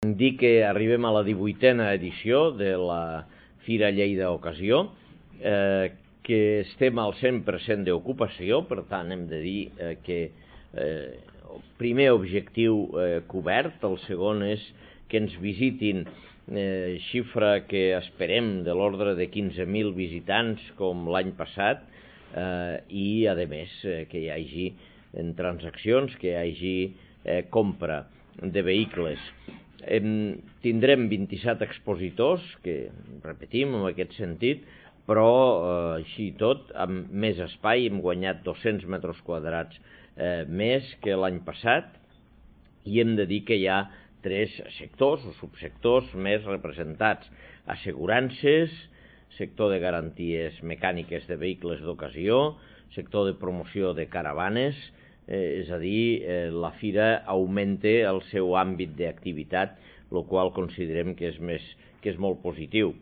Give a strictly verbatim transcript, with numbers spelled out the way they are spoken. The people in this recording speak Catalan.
Dir que arribem a la divuitena edició de la Fira Lleida Ocasió, eh, que estem al cent per cent d'ocupació, per tant hem de dir eh, que eh, el primer objectiu eh, cobert, el segon és que ens visitin eh, xifra que esperem de l'ordre de quinze mil visitants com l'any passat eh, i a més eh, que hi hagi en transaccions, que hi hagi eh, compra de vehicles. En tindrem vint-i-set expositors, que repetim en aquest sentit, però eh, així i tot, amb més espai, hem guanyat dos-cents metres quadrats eh, més que l'any passat, i hem de dir que hi ha tres sectors o subsectors més representats: assegurances, sector de garanties mecàniques de vehicles d'ocasió, sector de promoció de caravanes. Eh, és a dir, eh, la fira augmenta el seu àmbit d'activitat, el qual considerem que és, més, que és molt positiu.